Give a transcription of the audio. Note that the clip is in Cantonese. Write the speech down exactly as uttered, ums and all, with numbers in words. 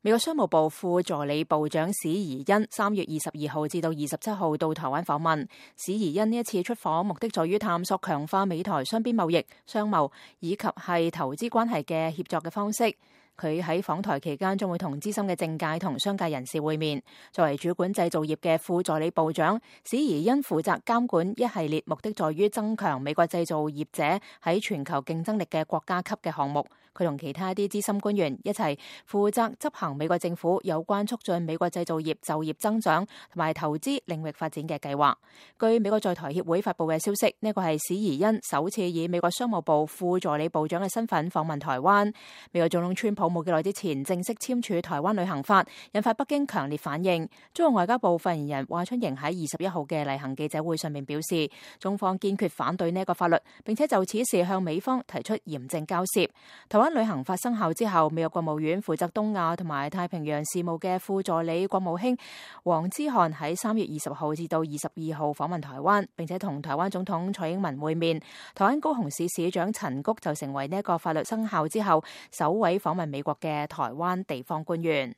美國商務部副助理部長史怡恩三月二十二號至到二十七號到台灣訪問。史怡恩呢一次出訪目的在於探索強化美台雙邊貿易、商貿以及係投資關係嘅協作嘅方式。佢喺訪台期間將會同資深嘅政界同商界人士會面。作為主管製造業嘅副助理部長，史怡恩負責監管一系列目的在於增強美國製造業者喺全球競爭力嘅國家級嘅項目。佢同其他一啲資深官員一齊負責執行美國政府有關促進美國製造業就業增長同埋投資領域發展嘅計劃。據美國在台協會發布嘅消息，呢個係史怡恩首次以美國商務部副助理部長嘅身份訪問台灣。美國總統川普冇幾耐之前正式簽署台灣旅行法，引發北京強烈反應。中國外交部發言人華春瑩喺二十一號嘅例行記者會上面表示，中方堅決反對呢一個法律，並且就此事向美方提出嚴正交涉。台灣旅行法生效之後，美國國務院負責東亞同埋太平洋事務嘅副助理國務卿黃之翰喺三月二十號至到二十二號訪問台灣，並且同台灣總統蔡英文會面。台灣高雄市市長陳菊就成為呢一個法律生效之後首位訪問美國嘅台灣地方官員。